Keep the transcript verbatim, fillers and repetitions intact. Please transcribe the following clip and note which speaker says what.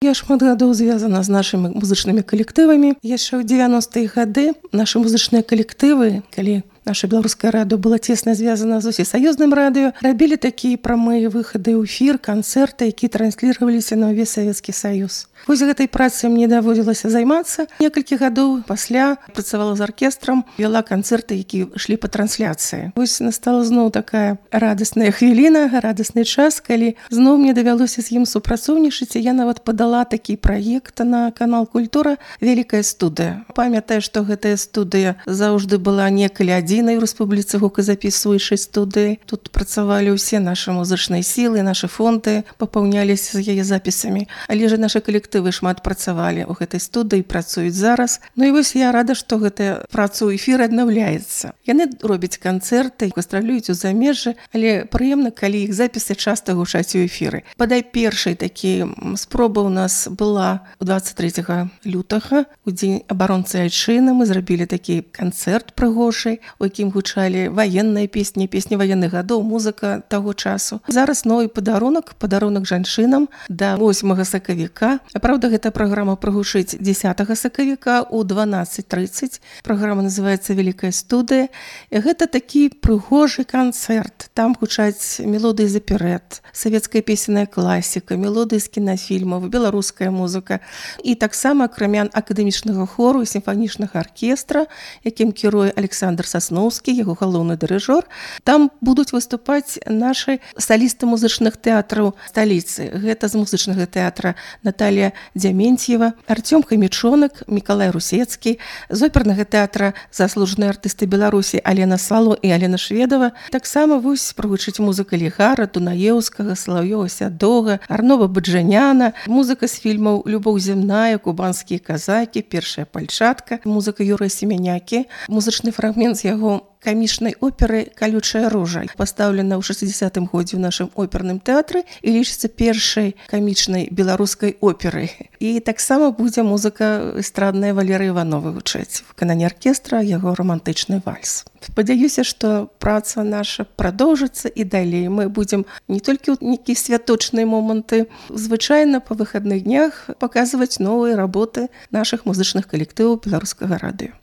Speaker 1: Я шмат гадоў звязана з нашымі музычнымі калектывамі. Яшчэ ў дзевяностыя гады нашы музычныя калектывы, калі наша беларускае радыё было цесна звязана з усесаюзным радыё, рабілі такія прамыя выхады ў эфір, канцэрты, якія трансліраваліся на ўвесь Савецкі Саюз. Вось гэтай працай мне даводзілася займацца. Некалькі гадоў пасля працавала з аркестрам, вяла канцэрты, якія ішлі па трансляцыі. Вось настала зноў такая радасная хвіліна, радасны час, калі зноў мне давялося з ім супрацоўнічаць, і я нават падала такі праект на канал Культура «Вялікая студыя». Памятаю, што гэтая студыя заўжды была некалі адзінай у Рэспубліцы гуказапісваючай студыі. Тут працавалі ўсе нашы музычныя сілы, нашы фонды папаўняліся з яе запісамі. Але ж нашы калектывы шмат працавалі ў гэтай студыі, працуюць зараз. Ну і вось я рада, што гэтая праца ў эфіры аднаўляецца. Яны робяць канцэрты, гастралююць у замежжы, але прыемна, калі іх запісы часта гучаць у эфіры. Бадай першай такі спроба у нас была двадцать трэцяга лютага, у дзень абаронцы Айчыны. Мы зрабілі такі канцэрт прыгожы, у якім гучалі ваенныя песні, песні ваенных гадоў, музыка таго часу. Зараз новы падарунак, падарунак жанчынам да восьмага сакавіка. Праўда, гэта праграма прагучыць дзесятага сакавіка ў дванаццаць трыццаць. Праграма называецца «Вялікая студыя». І гэта такі прыгожы канцэрт. Там гучаць мелодыі з аперэт, савецкая песенная класіка, мелодыі з кінафільмаў, беларуская музыка. І таксама акрамя акадэмічнага хору і сімфанічнага аркестра, якім кіруе Александр Сасноўскі, яго галоўны дырыжор, там будуць выступаць нашы салісты музычных тэатраў сталіцы. Гэта з музычнага тэатра Наталья Дзяментьева, Артём Хамічонак, Мікалай Русецкі, з опернага тэатра заслужаныя артысты Беларусі Алена Сало і Алена Шведова. Таксама вось прагучыць музыка Лігара, Дунаеўскага, Салаўёва Сядога, Арнова Баджаняна, музыка з фільмаў «Любоў зямная», «Кубанскія казакі», «Першая пальчатка», музыка Юрыя Семенякі, музычны фрагмент з яго камічнай оперы «Калючая ружа», пастаўлена ў шэсцідзесятым годзе ў нашым оперным тэатры і лічыцца першай камічнай беларускай операй. І таксама будзе музыка эстрадная Валеры Івановы гучаць. Выкананне аркестра, яго романтычны вальс. Спадзяюся, што праца наша прадоўжыцца і далей. Мы будзем не толькі ў нейкія святочныя моманты, звычайна па выхадных днях паказваць новыя работы нашых музычных калектываў беларускага радыё.